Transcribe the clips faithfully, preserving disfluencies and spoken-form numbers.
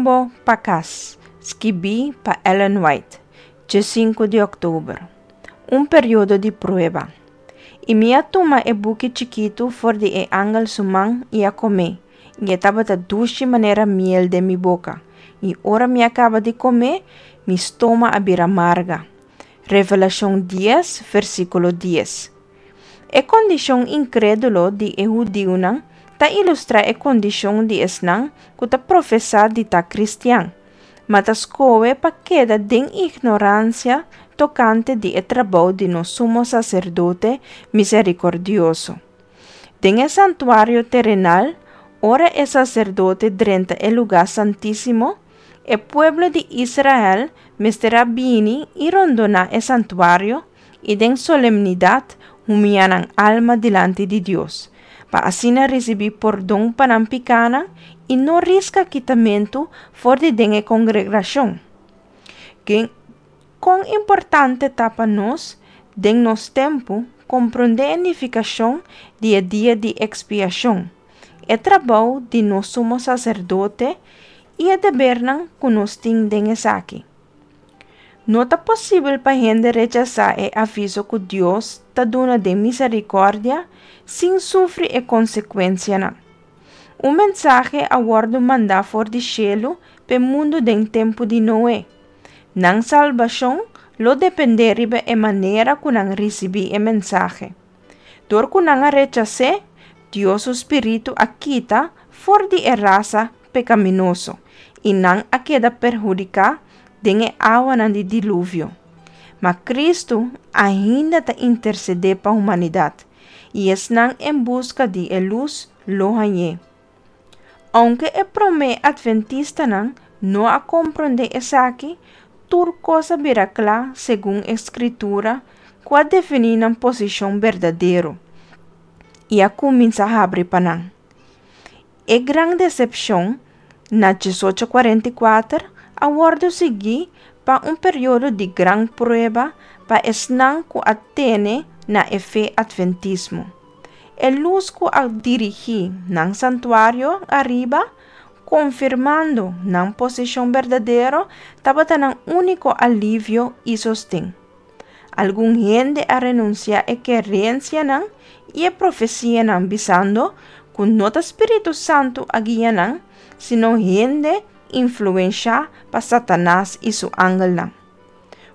Rumbo pa Kas, skibí pa Ellen White, diesinku di òktober. Un periodo di prueba. I mi a tuma e buki chikitu for di e angel su man i a kom'é, i e tabata dushi manera miel den mi boka, i ora mi a kaba di kom'é, mi stoma a bira marga. Revelashon dies, versíkulo dies. E kondishon inkrédulo di e hudiunan ta ilustrá e kondishon di esnan ku ta profesá di ta kristian, ma ta skohe pa keda den ignoransia tokante di e trabou di nos Sumo Saserdote miserikòrdioso. Den e santuario terenal, ora e saserdote drenta e lugá santísimo, e pueblo di Israel mester a bini i rondoná e santuario i den solemnidat humiá nan alma dilanti di Dios, pa asina risibí pordon pa nan pikánan i no riska kitamentu for di den e kongregashon. Kon importante ta pa nos, den nos tempu, komprondé e nifikashon di e Dia di Ekspiashon, e trabou di nos Sumo Saserdote i e debernan ku nos tin den esaki. No ta posibel pa hende rechasá e aviso ku Dios ta duna den miserikòrdia sin sufri e konsekuensianan. Un mensahe a wòrdu mandá for di shelu p'e mundu den tempu di Noe. Nan salbashon lo dependé riba e manera ku nan risibí e mensahe. Dor ku nan a rechas'é, Dios su spiritu a kita for di e rasa pekaminoso i nan a keda perhudiká den e awanan di diluvio. Ma Kristu ainda ta intersedé pa humanidat, i esnan en buska di e lus lo hañ'é. Ounke e promé atventistanan no a komprondé esaki, tur kos a bira kla segun e Skritura ku a definí nan posishon berdadero i a kuminsá habri pa nan. E gran desepshon na diesocho kuarenta i kuater a wòrdu siguí pa un periodo di gran prueba pa esnan ku a tene na e fe atventismo. E lus ku a dirigí nan santuario ariba, konfirmando nan posishon berdadero, tabata nan úniko alivio i sosten. Algun hende a renunsiá e kerensianan i e profesianan bisando ku no ta Spiritu Santu a guia nan, sino hende influenshá pa Satanas i su angelnan.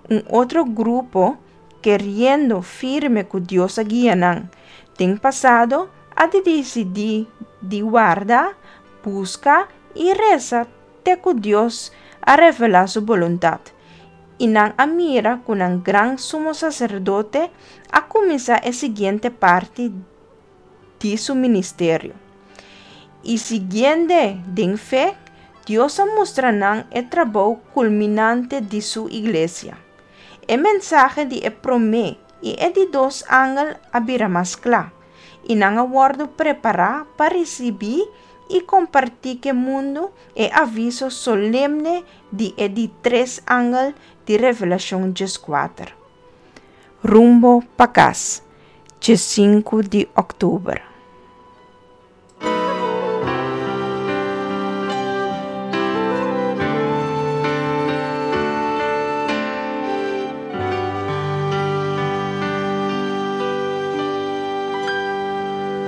Un otro grupo, keriendo firme ku Dios a guia nan den pasado, a disidí di warda, buska i resa te ku Dios a revelá su boluntat, i nan a mira ku nan gran Sumo Saserdote a kuminsá e siguiente parti di su ministerio. I siguiend'é den fe, Dios a mustra nan e trabou kulminante di su iglesia. E mensahe di e promé i e di dos angel a bira mas kla, i nan a wòrdu prepará pa risibí i kompartí ku e mundu e aviso solemne di e di tres angel di Revelashon dieskuater. Rumbo pa kas, diesinku di òktober.